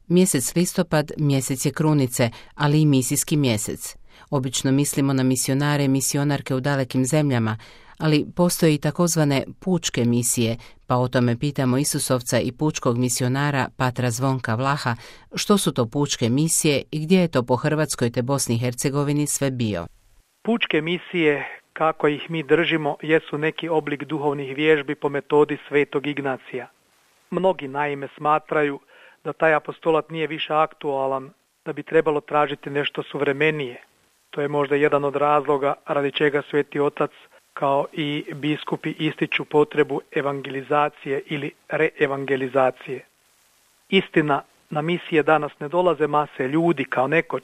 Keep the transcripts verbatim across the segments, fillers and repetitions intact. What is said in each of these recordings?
Mjesec listopad mjesec je krunice, ali i misijski mjesec. Obično mislimo na misionare i misionarke u dalekim zemljama, ali postoje i takozvane pučke misije, pa o tome pitamo Isusovca i pučkog misionara patra Zvonka Vlaha, što su to pučke misije i gdje je to po Hrvatskoj te Bosni i Hercegovini sve bio. Pučke misije, kako ih mi držimo, jesu neki oblik duhovnih vježbi po metodi Svetog Ignacija. Mnogi naime smatraju da taj apostolat nije više aktualan, da bi trebalo tražiti nešto suvremenije. To je možda jedan od razloga radi čega Sveti Otac kao i biskupi ističu potrebu evangelizacije ili reevangelizacije. Istina, na misije danas ne dolaze mase ljudi kao nekoć,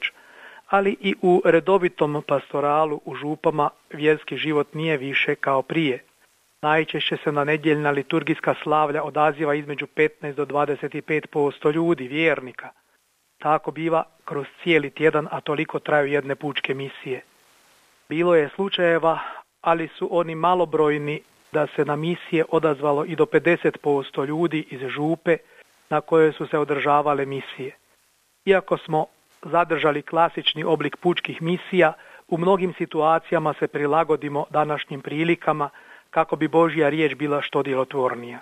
ali i u redovitom pastoralu u župama vjerski život nije više kao prije. Najčešće se na nedjeljna liturgijska slavlja odaziva između petnaest do dvadeset pet posto ljudi, vjernika. Tako biva kroz cijeli tjedan, a toliko traju jedne pučke misije. Bilo je slučajeva, ali su oni malobrojni, da se na misije odazvalo i do pedeset posto ljudi iz župe na kojoj su se održavale misije. Iako smo zadržali klasični oblik pučkih misija, u mnogim situacijama se prilagodimo današnjim prilikama kako bi Božja riječ bila što djelotvornija.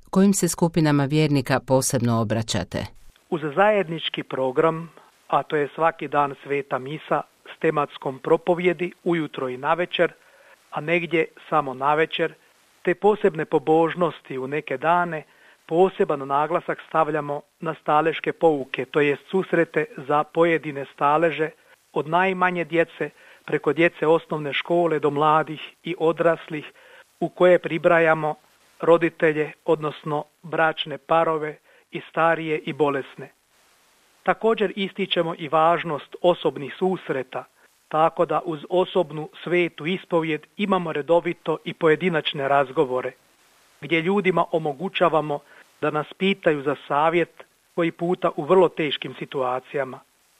Kojim se skupinama vjernika posebno obraćate? Uz zajednički program, a to je svaki dan sveta misa s tematskom propovjedi ujutro i navečer, a negdje samo navečer, te posebne pobožnosti u neke dane, poseban naglasak stavljamo na staleške pouke, to jest susrete za pojedine staleže, od najmanje djece preko djece osnovne škole do mladih i odraslih, u koje pribrajamo roditelje, odnosno bračne parove i starije i bolesne. Također ističemo i važnost osobnih susreta, tako da uz osobnu svetu ispovjed imamo redovito i pojedinačne razgovore, gdje ljudima omogućavamo da nas pitaju za savjet, koji puta u vrlo teškim situacijama.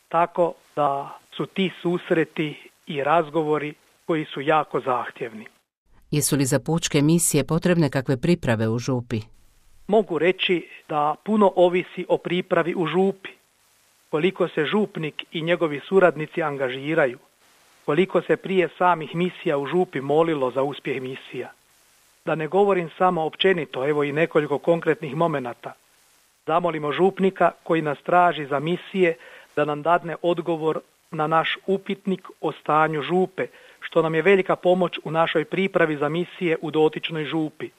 Tako da su ti susreti i razgovori koji su jako zahtjevni. Jesu li za pučke misije potrebne kakve priprave u župi? Mogu reći da puno ovisi o pripravi u župi, koliko se župnik i njegovi suradnici angažiraju, koliko se prije samih misija u župi molilo za uspjeh misija. Da ne govorim samo općenito, evo i nekoliko konkretnih momenata. Zamolimo župnika koji nas traži za misije da nam dadne odgovor na naš upitnik o stanju župe, što nam je velika pomoć u našoj pripravi za misije u dotičnoj župi.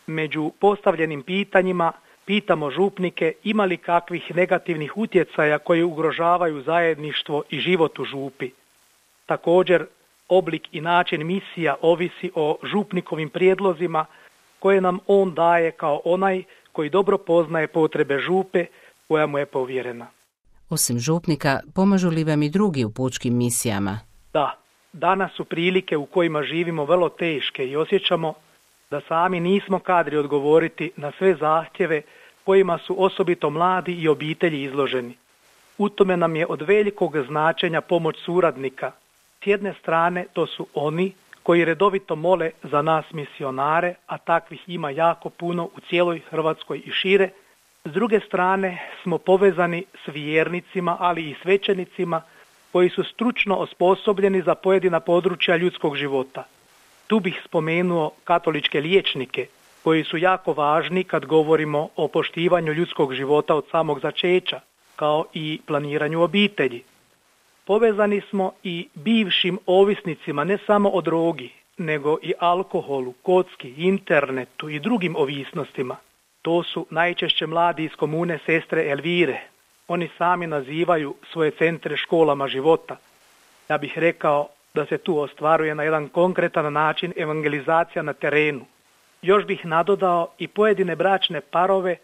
Među postavljenim pitanjima pitamo župnike ima li kakvih negativnih utjecaja koji ugrožavaju zajedništvo i život u župi. Također, oblik i način misija ovisi o župnikovim prijedlozima koje nam on daje kao onaj koji dobro poznaje potrebe župe koja mu je povjerena. Osim župnika, pomažu li vam i drugi u pučkim misijama? Da, danas su prilike u kojima živimo vrlo teške i osjećamo da sami nismo kadri odgovoriti na sve zahtjeve kojima su osobito mladi i obitelji izloženi. U tome nam je od velikog značenja pomoć suradnika. S jedne strane to su oni koji redovito mole za nas misionare, a takvih ima jako puno u cijeloj Hrvatskoj i šire. S druge strane smo povezani s vjernicima, ali i svećenicima koji su stručno osposobljeni za pojedina područja ljudskog života. Tu bih spomenuo katoličke liječnike koji su jako važni kad govorimo o poštivanju ljudskog života od samog začeća, kao i planiranju obitelji. Povezani smo i bivšim ovisnicima ne samo o drogi, nego i alkoholu, kocki, internetu i drugim ovisnostima. To su najčešće mladi iz komune Sestre Elvire. Oni sami nazivaju svoje centre školama života. Ja bih rekao da se tu ostvaruje na jedan konkretan način evangelizacija na terenu. Još bih nadodao i pojedine bračne parove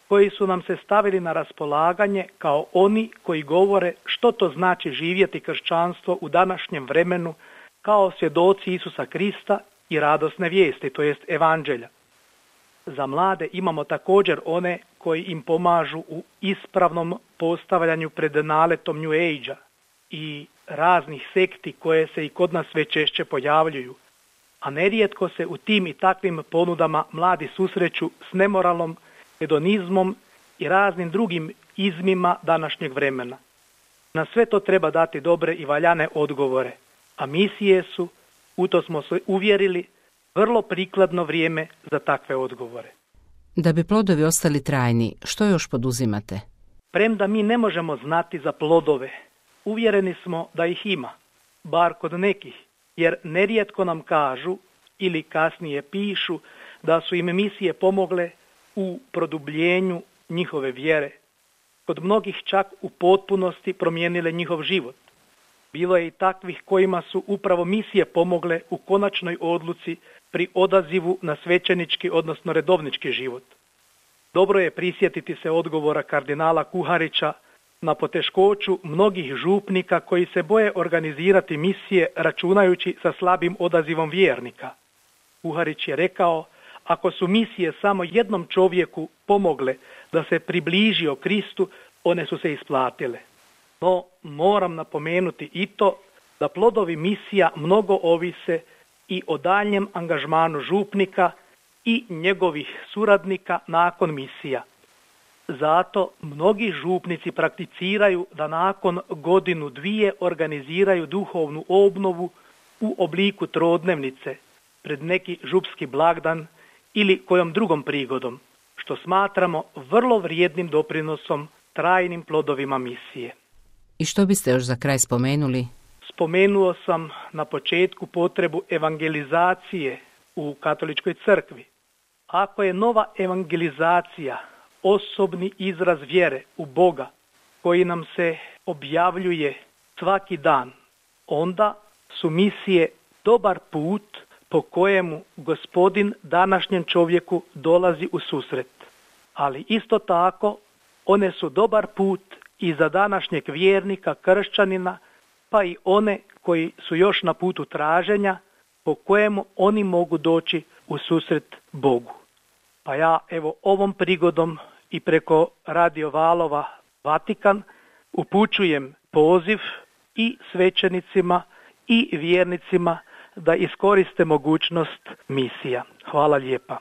koji su nam se stavili na raspolaganje kao oni koji govore što to znači živjeti kršćanstvo u današnjem vremenu kao svjedoci Isusa Krista i radosne vijesti, to jest evanđelja. Za mlade imamo također one koji im pomažu u ispravnom postavljanju pred naletom New Age-a i raznih sekti koje se i kod nas sve češće pojavljuju, a nerijetko se u tim i takvim ponudama mladi susreću s nemoralom, hedonizmom i raznim drugim izmima današnjeg vremena. Na sve to treba dati dobre i valjane odgovore, a misije su, u to smo se uvjerili, vrlo prikladno vrijeme za takve odgovore. Da bi plodovi ostali trajni, što još poduzimate? Premda mi ne možemo znati za plodove, uvjereni smo da ih ima, bar kod nekih, jer nerijetko nam kažu ili kasnije pišu da su im misije pomogle u produbljenju njihove vjere. Kod mnogih čak u potpunosti promijenile njihov život. Bilo je i takvih kojima su upravo misije pomogle u konačnoj odluci pri odazivu na svećenički, odnosno redovnički život. Dobro je prisjetiti se odgovora kardinala Kuharića na poteškoću mnogih župnika koji se boje organizirati misije računajući sa slabim odazivom vjernika. Kuharić je rekao, ako su misije samo jednom čovjeku pomogle da se približio Kristu, one su se isplatile. No, moram napomenuti i to da plodovi misija mnogo ovise i o daljnjem angažmanu župnika i njegovih suradnika nakon misija. Zato mnogi župnici prakticiraju da nakon godinu dvije organiziraju duhovnu obnovu u obliku trodnevnice pred neki župski blagdan ili kojom drugom prigodom, što smatramo vrlo vrijednim doprinosom trajnim plodovima misije. I što biste još za kraj spomenuli? Spomenuo sam na početku potrebu evangelizacije u katoličkoj crkvi. Ako je nova evangelizacija osobni izraz vjere u Boga koji nam se objavljuje svaki dan, onda su misije dobar put po kojemu Gospodin današnjem čovjeku dolazi u susret. Ali isto tako one su dobar put i za današnjeg vjernika, kršćanina, pa i one koji su još na putu traženja po kojemu oni mogu doći u susret Bogu. Pa ja evo ovom prigodom i preko Radio Valova Vatikan upućujem poziv i svećenicima i vjernicima da iskoriste mogućnost misija. Hvala lijepa.